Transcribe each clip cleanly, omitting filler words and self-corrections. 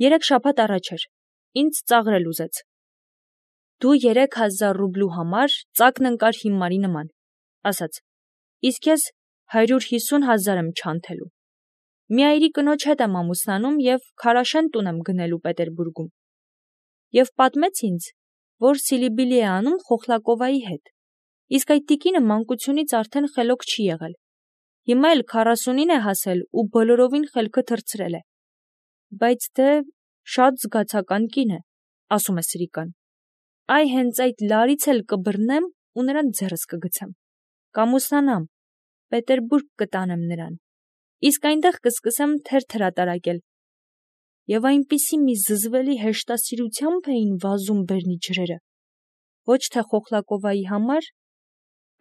3 շաբաթ առաջ էր, ինձ ծաղրել ուզեց. դու 3000 ռուբլու համար ծակն ընկար հիմարի նման, ասաց, իսկ ես 150,000 եմ չանթելու. մի այրի կնոջ հետ եմ ամուսնանում և քարաշեն տուն եմ գնելու Պետերբուրգում. և պատմեց ինձ, որ Սիլիբիլի է անում Խոխլակովայի հետ, իսկ այդ տիկինը մանկությունից արդեն խելոք չի եղել, հիմա էլ 40-ին է հասել ու բոլորովին խելքը թռցրել է, բայց դե շատ զգացական կին է, ասում է Սրիկան. այ հենց այդ լարից էլ կբռնեմ ու նրան ձեռս կգցեմ, կամուսնանամ, Պետերբուրգ կտանեմ նրան, իսկ այնտեղ կսկսեմ թերթ հրատարակել. և այնպիսի մի զզվելի հեշտասիրությամբ էին վազում բերնի ջրերը, ոչ թե Խոխլակովայի համար,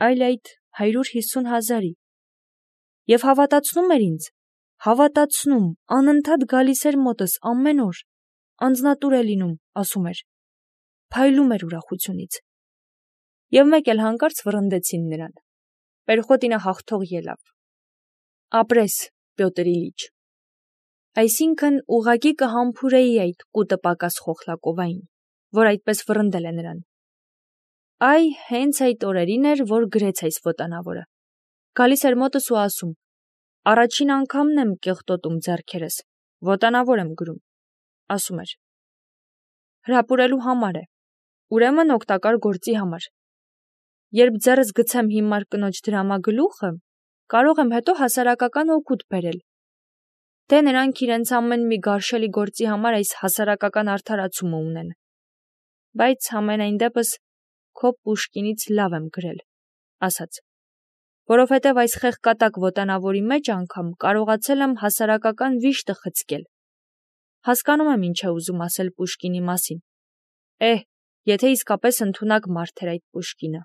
այլ այդ 150,000-ի, և հավատացնում էր ինձ, հավատացնում, անընդհատ գալիս էր մոտս ամեն օր, անձնատուր է լինում, ասում էր, փայլում էր ուրախությունից, և մեկ էլ հանկարծ վռնդեցին նրան, Պերխոտինը հաղթող ելավ. ապրես, Պյոտր Իլիչ, այսինքն ուղղակի կհամբուրեի այդ կուտը պակաս Խոխլակովային, որ այդպես վռնդել է նրան. այ հենց այդ օրերին էր, որ գրեց այս ոտանավորը, գալիս էր մոտս ու ասում, առաջին անգամն եմ կեղտոտում ձեռքերս, ոտանավոր եմ գրում, ասում էր. հրապուրելու համար է, ուրեմն օգտակար գործի համար, երբ ձեռս գցեմ հիմար կնոջ դրամագլուխը, կարող եմ հետո հասարակական օգուտ բերել, դե նրանք իրենց ամեն մի գարշելի գործի համար այս հասարակական արդարացումը ունեն, բայց համենայն դեպս քո Պուշկինից լավ եմ գրել, ասաց, որովհետև այս խեղկատակ ոտանավորի մեջ անգամ կարողացել եմ հասարակական վիշտը խցկել, հասկանում եմ ինչ է ուզում ասել Պուշկինի մասին, եթե իսկապես ընդունակ մարդ էր այդ Պուշկինը,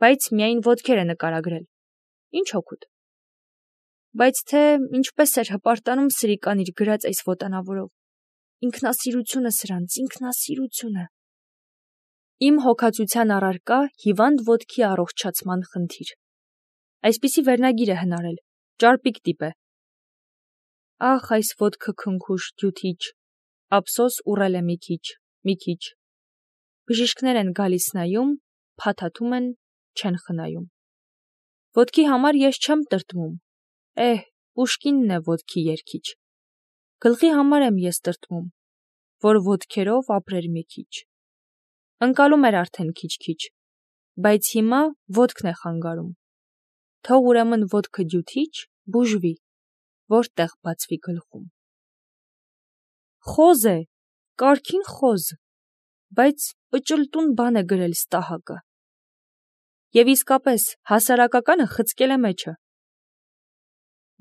բայց միայն ոտքեր է նկարագրել, ինչ օգուտ, բայց թե ինչպես էր հպարտանում Սրիկան իր գրած այս ոտանավորով, ինքնասիրությունը սրանց, ինքնասիրությունը, իմ հոգացության առարկա հիվանդ ոտքի առողջացման խնդիր, այսպիսի վերնագիր է հնարել, ճարպիկ տիպ է, ախ այս ոտքը քնքուշ, դյութիչ, ափսոս ուռել է մի քիչ, բժիշկներ են գալիս նայում, փաթաթում են, չեն խնայում, ոտքի համար ես չեմ տրտմում, Պուշկինն է ոտքի երգիչ, գլխի համար եմ ես տրտմում, որ ոտքերով ապրեր մի քիչ, ընկալում էր արդեն քիչ, բայց հիմա ոտքն է խանգարում, թող ուրեմն ոտքը դյութիչ, բուժվի, որտեղ բացվի գլխում, խոզ է, կարգին խոզ, բայց պճլտուն բան է գրել Ստահակը, և իսկապես հասարակականը խցկել է մեջը,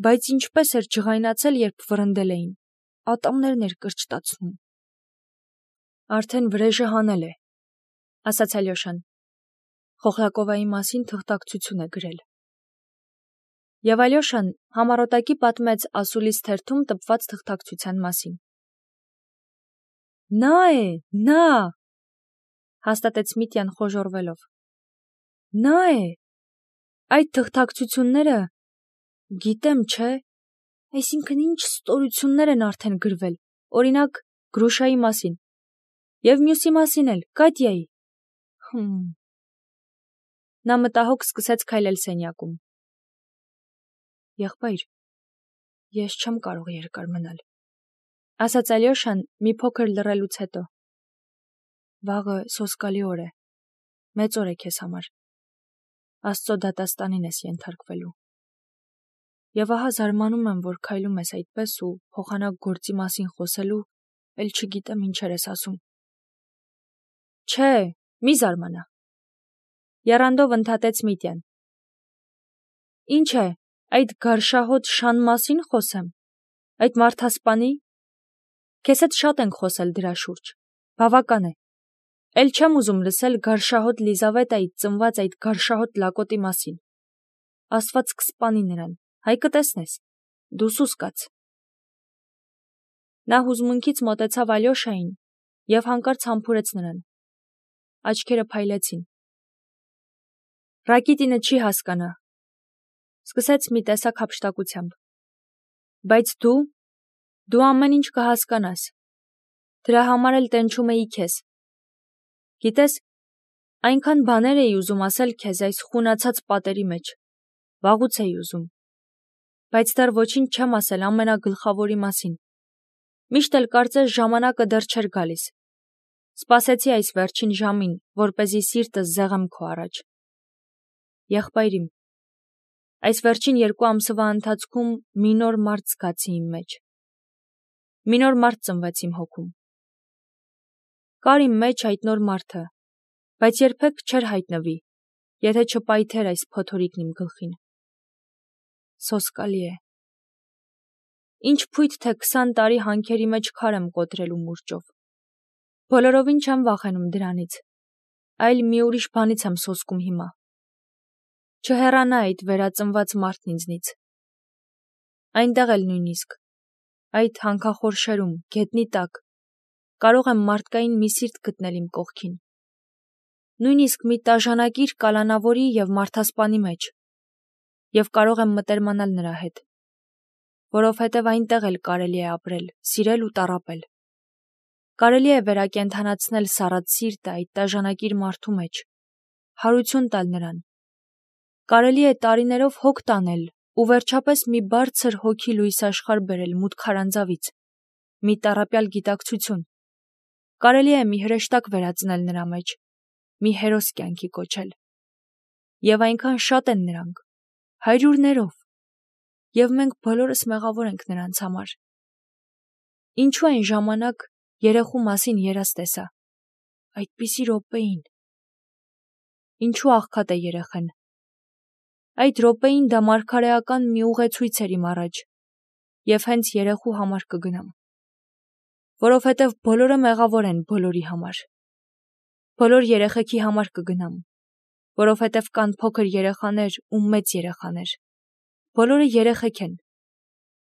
բայց ինչպես էր ջղայնացել, երբ վռնդել էին, ատամներն էր կրճտացնում, արդեն վրեժը հանել է, ասաց Ալյոշան, Խոխլակովայի մասին թղթակցություն է գրել, և Ալյոշան համառոտակի պատմեց ասուլիս թերթում տպված թղթակցության մասին, նա, հաստատեց Միտյան խոժոռվելով, նա է, այդ թղթակցությունները, գիտեմ, չէ, այսինքն ինչ ստորություններ են արդեն գրվել, օրինակ Գրուշայի մասին, և մյուսի մասին էլ, Կատյայի, նա մտահոգ սկսեց քայլել սենյակում, եղբայր, ես չեմ կարող երկար մնալ, ասաց Ալյոշան մի փոքր լռելուց հետո, վաղը սոսկալի օր է, մեծ օր է քեզ համար, Աստծո դատաստանին ես ենթարկվելու, և ահա զարմանում եմ, որ քայլում ես այդպես ու փոխանակ գործի մասին խոսելու, էլ չգիտեմ ինչեր ես ասում, չէ, մի զարմանա, եռանդով ընդհատեց Միտյան, ինչ է, այդ գարշահոտ շան մասին խոսեմ, այդ մարդասպանի, քեզ հետ շատ ենք խոսել դրա շուրջ, բավական է, էլ չեմ ուզում լսել գարշահոտ Լիզավետայից ծնված այդ գարշահոտ լակոտի մասին, Աստված կսպանի նրան, հայ կտեսնես, դու սուս կաց, նա հուզմունքից մոտեցավ Ալյոշային և հանկարծ համբուրեց նրան, աչքերը փայլեցին, Ռակիտինը չի հասկանա, սկսեց մի տեսակ հափշտակությամբ, բայց դու ամեն ինչ կհասկանաս, Դրա համար էլ տենչում էի քեզ։ Գիտես, այնքան բաներ էի ուզում ասել քեզ այս խունացած պատերի մեջ։ Վաղուց էի ուզում։ Բայց դեռ ոչինչ չեմ ասել ամենագլխավորի մասին։ Միշտ էլ կարծես ժամանակը դեռ չէր գալիս։ Սպասեցի այս վերջին ժամին, որպեսզի սիրտս զեղեմ քո առաջ։ Եղբայրիմ, այս վերջին 2 ամսվա ընթացքում մի նոր մարդ զգացի իմ մեջ։ Մի նոր մարդ ծնվեց իմ հոգում։ Կար իմ մեջ այդ նոր մարդը, բայց երբեք չէր հայտնվի, եթե չպայթեր այս փոթորիկն իմ գլխին։ Սոսկալի է։ Ինչ փույթ թե 20 տարի հանքերի մեջ քար եմ կոտրելու մուրճով։ Բոլորովին չեմ վախենում դրանից, այլ մի ուրիշ բանից եմ սոսկում հիմա։ Չհեռանա այդ վերածնված մարդն ինձնից։ Այնտեղ էլ նույնիսկ, այդ հանքախորշերում, գետնի տակ, կարող եմ մարդկային մի սիրտ գտնել իմ կողքին։ Նույնիսկ մի տաժանակիր կալանավորի և մարդասպանի մեջ, և կարող եմ մտերմանալ նրա հետ, որովհետև այնտեղ էլ կարելի է ապրել, սիրել ու տառապել։ Կարելի է վերակենդանացնել սառած սիրտը այդ տաժանակիր մարդու մեջ, հարություն տալ նրան։ Կարելի է տարիներով հոգ տանել ու վերջապես մի բարձր հոգի լույս աշխարհ բերել մութ քարանձավից, մի տառապյալ գիտակցություն։ Կարելի է մի հրեշտակ վերածնել նրա մեջ, մի հերոս կյանքի կոչել։ Եվ այնքան շատ են նրանք, հարյուրներով, և մենք բոլորս մեղավոր ենք նրանց համար։ Ինչու այն ժամանակ երեխու մասին երազ տեսա, այդպիսի րոպեին։ Ինչու աղքատ է երեխեն։ Այդ րոպեին դա մարգարեական մի ուղեցույց էր իմ առաջ, և հենց երեխու համար կգնամ։ Որովհետև բոլորը մեղավոր են բոլորի համար։ Բոլոր երեխեքի համար կգնամ, որովհետև կան փոքր երեխաներ ու մեծ երեխաներ։ Բոլորը երեխեք են,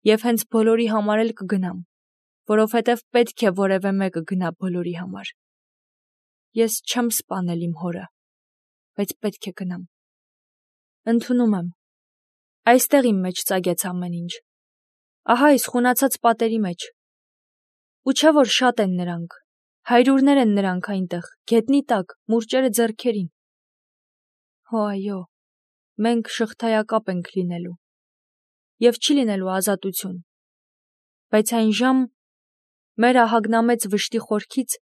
և հենց բոլորի համար էլ կգնամ, որովհետև պետք է որևէ մեկը գնա բոլորի համար։ Ես չեմ սպանել իմ հորը, բայց պետք է գնամ։ Ընդունում եմ։ Այստեղ իմ մեջ ծագեց ամեն ինչ։ Ահա այս խունացած պատերի մեջ։ Ու չէ որ շատ են նրանք, հարյուրներ են նրանք այնտեղ, գետնի տակ, մուրճերը ձեռքերին։ Հո այո, մենք շղթայակապ ենք լինելու, և չի լինելու ազատություն, բայց այն ժամ մեր ահագնամեծ վշտի խորքից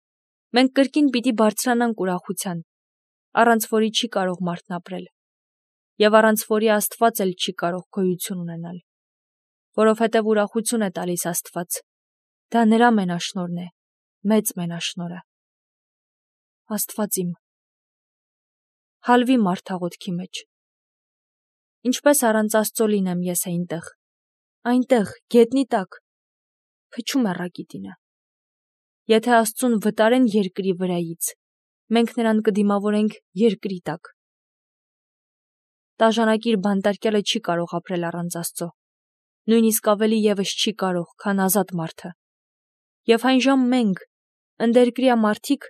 մենք կրկին պիտի բարձրանանք ուրախության, առանց որի չի կարող մարդն ապրել, և առանց որի Աստված էլ չի կարող գոյություն ունենալ, որովհետև ուրախություն է տալիս Աստված, դա նրա մենաշնորհն է, մեծ մենաշնորհը։ Աստված իմ, հալվի մարդ աղոթքի մեջ։ Ինչպես առանց Աստծո լինեմ ես այնտեղ, գետնի տակ, փչում է ռակիտինը։ Եթե Աստծուն վտարեն երկրի վրայից, մենք նրան կդիմավորենք երկրի տակ։ Տաժանակիր բանտարկյալը չի կարող ապրել առանց Աստծո, նույնիսկ ավելի ևս չի կարող, քան ազատ մարդը։ Եվ այն ժամ մենք, ընդերկրյա մարդիկ,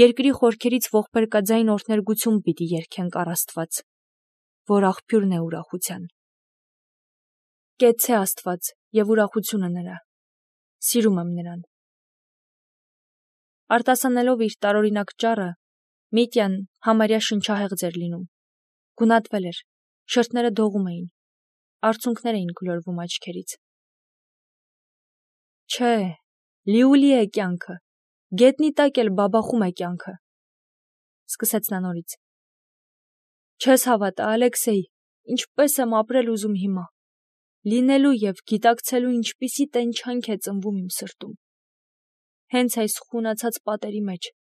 երկրի խորքերից ողբերգաձայն օրհներգություն պիտի երգենք առ Աստված, որ աղբյուրն է ուրախության։ Կեցցե Աստված և ուրախությունը նրա։ Սիրում եմ նրան։ Արտասանելով իր տարօրինակ ճառը, Միտյան համարյա շնչահեղձ էր լինում։ Գունատվել էր, շրթները դողում էին, արցունքներ էին գլորվում աչքերից։ Չէ, լիուլի է կյանքը, գետնի տակ էլ բաբախում է կյանքը, սկսեց նա նորից։ Չես հավատա, Ալեքսեյ, ինչպես եմ ապրել ուզում հիմա, լինելու և գիտակցելու ինչպիսի տենչանք է ծնվում իմ սրտում։ Հենց այս խունացած պատերի մեջ։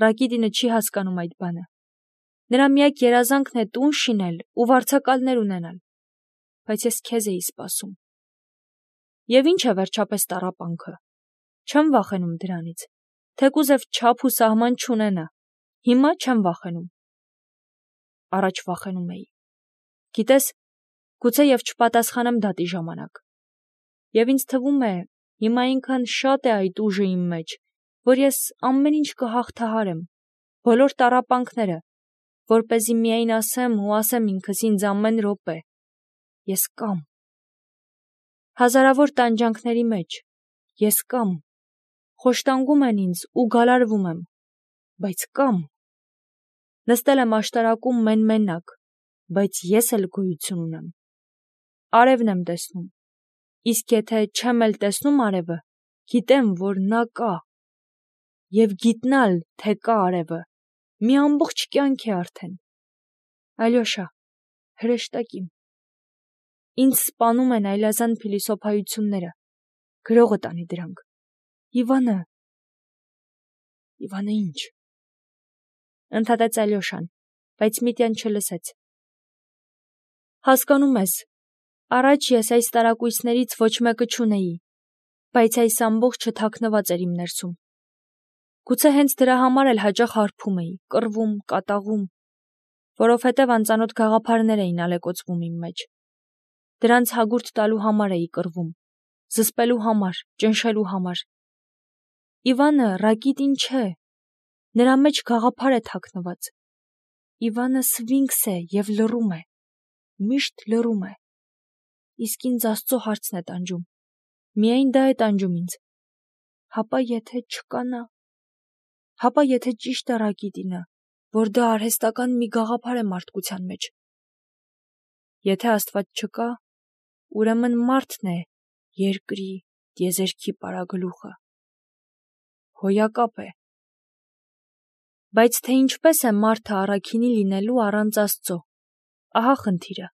Ռակիտինը չի հասկանում այդ բանը։ Նրա միակ երազանքն է տուն շինել ու վարձակալներ ունենալ, բայց ես քեզ էի սպասում։ Եվ ինչ է վերջապես տառապանքը։ Չեմ վախենում դրանից, թեկուզև չափ ու սահման չունենա, հիմա չեմ վախենում։ Առաջ վախենում էի։ Գիտես, գուցե և չպատասխանեմ դատի ժամանակ։ Եվ ինձ թվում է, հիմա այնքան շատ է այդ ուժը իմ մեջ, որ ես ամեն ինչ կհաղթահարեմ, բոլոր տառապանքները, որպեսզի միայն ասեմ ու ասեմ ինքս ինձ ամեն րոպե. ես կամ։ Հազարավոր տանջանքների մեջ, ես կամ։ խոշտանգում են ինձ ու գալարվում եմ, բայց կամ։ Նստել եմ աշտարակում մեն-մենակ, բայց ես էլ գոյություն ունեմ։ Արևն եմ տեսնում, իսկ եթե չեմ էլ տեսնում արևը, գիտեմ, որ նա կա, և գիտնալ, թե կա արևը, մի ամբողջ կյանք է արդեն։ Ալյոշա, հրեշտակիմ։ Ինձ սպանում են այլազան փիլիսոփայությունները, գրողը տանի դրանք։ Իվանը ինչ։ Ընդհատեց Ալյոշան, բայց Միտյան չլսեց։ Հասկանում ես, առաջ ես այս տարակույսներից ոչ մեկը չունեի, բայց այս ամբողջը թաքնված էր իմ ներսում։ Գուցե հենց դրա համար էլ հաճախ հարբում էի, կռվում, կատաղում, որովհետև անծանոթ գաղափարներ էին ալեկոծվում իմ մեջ։ Դրանց հագուրդ տալու համար էի կռվում, զսպելու համար, ճնշելու համար։ Իվանը Ռակիտին չէ, նրա մեջ գաղափար է թաքնված։ Իվանը սվինքս է և լռում է, միշտ լռում է։ Իսկ ինձ Աստծո հարցն է տանջում, միայն դա է տանջում ինձ։ Հապա եթե չկա նա, հապա եթե ճիշտ է Ռակիտինը, որ դա արհեստական մի գաղափար է մարդկության մեջ։ Եթե Աստված չկա, ուրեմն մարդն է երկրի, տիեզերքի պարագլուխը։ Հոյակապ է։ Բայց թե ինչպես է մարդը առաքինի լինելու առանց Աստծո, ահա խնդիրը։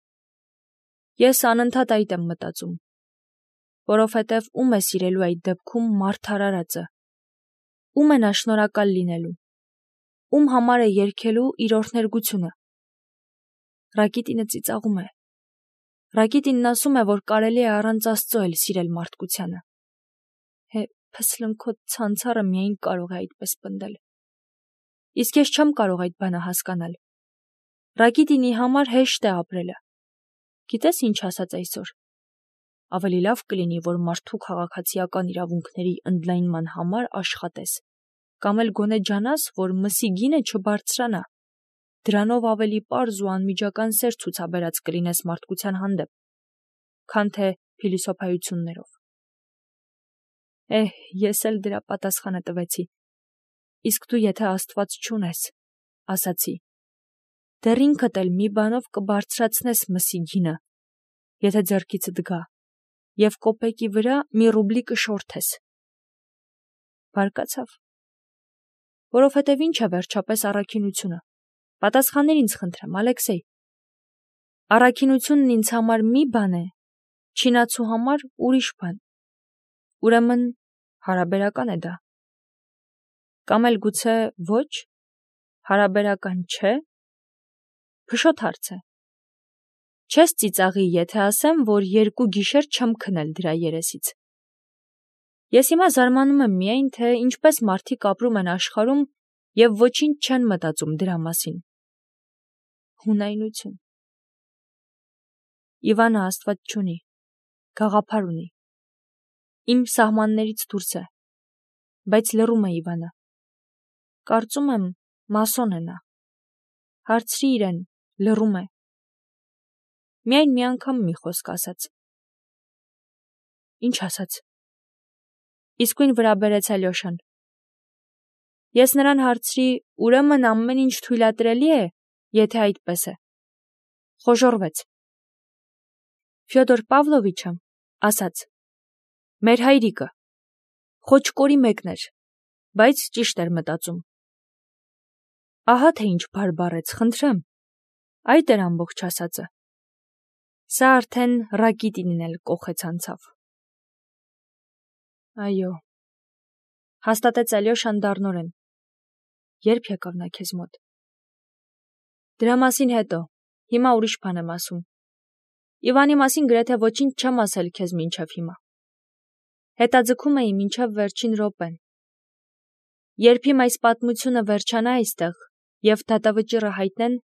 Ես անընդհատ այդ եմ մտածում, որովհետև ում է սիրելու այդ դեպքում մարդ արարածը, ում է նա շնորհակալ լինելու, ում համար է երգելու իր օրհներգությունը։ Ռակիտինը ծիծաղում է։ Ռակիտինն ասում է, որ կարելի է առանց Աստծո էլ սիրել մարդկությանը։ Փսլնքոտ ցանցառը միայն կարող է այդպես պնդել։ Իսկ ես չեմ կարող այդ բանը հասկանալ։ Ռակիտինի համար հեշտ է ապրելը։ Գիտես ինչ ասաց այսօր։ Ավելի լավ կլինի, որ մարդու քաղաքացիական իրավունքների ընդլայնման համար աշխատես, կամ էլ գոնե ջանաս, որ մսի գինը չբարձրանա։ Դրանով ավելի պարզ ու անմիջական սեր ցուցաբերած կլինես մարդկության հանդեպ, քան թե փիլիսոփայություններով։ Ես էլ դրա պատասխանը տվեցի։ Իսկ դու եթե Աստված չունես, ասացի, դեռ ինքդ էլ մի բանով կբարձրացնես մսի գինը, եթե ձեռքիցդ գա, և կոպեկի վրա մի ռուբլի կշորթես։ Բարկացավ։ Որովհետև ինչ է վերջապես առաքինությունը։ Պատասխանիր ինձ խնդրեմ, Ալեքսեյ։ Առաքինությունն ինձ համար մի բան է, չինացու համար ուրիշ բան։ Ուրեմն հարաբերական է դա։ Կամ էլ գուցե ոչ, հարաբերական չէ։ Փշոտ հարց է։ Չես ծիծաղի, եթե ասեմ, որ 2 գիշեր չեմ քնել դրա երեսից։ Ես հիմա զարմանում եմ միայն, թե ինչպես մարդիկ ապրում են աշխարհում և ոչինչ չեն մտածում դրա մասին։ Հունայնություն։ Իվանը Աստված չունի, գաղափար ունի։ Իմ սահմաններից դուրս է, բայց լռում է Իվանը։ Կարծում եմ, մասոն է նա։ Հարցրի իրեն, լռում է։ Միայն մի անգամ մի խոսք ասաց։ Ինչ ասաց։ Իսկույն վրա բերեց Ալյոշան։ Ես նրան հարցրի, ուրեմն ամեն ինչ թույլատրելի է, եթե այդպես է։ Խոժոռվեց։ Ֆյոդոր Պավլովիչը ասաց. մեր հայրիկը խոճկորի մեկն էր, բայց ճիշտ էր մտածում։ Ահա թե ինչ բարբառեց, խնդրեմ։ Այդ էր ամբողջ ասածը։ Սա արդեն Ռակիտինին էլ կոխեց անցավ։ Այո, հաստատեց Ալյոշան դառնորեն։ Երբ եկավ նա քեզ մոտ։ Դրա մասին հետո, հիմա ուրիշ բան եմ ասում։ Իվանի մասին գրեթե ոչինչ չեմ ասել քեզ մինչև հիմա։ Հետաձգում էի մինչև վերջին րոպեն։ Երբ իմ այս պատմությունը վերջանա այստեղ և դատավճիռը հայտնեն,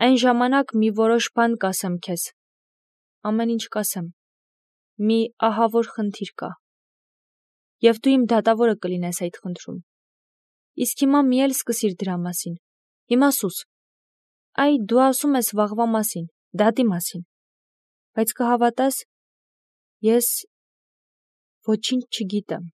այն ժամանակ մի որոշ բան կասեմ քեզ։ Ամեն ինչ կասեմ։ Մի ահավոր խնդիր կա։ Եվ դու իմ դատավորը կլինես այդ խնդրում։ Իսկ հիմա մի էլ սկսիր դրա մասին։ Հիմա սուս։ Այ դու ասում ես վաղվա մասին, դատի մասին։ Բայց կհավատաս, ես ոչինչ չգիտեմ։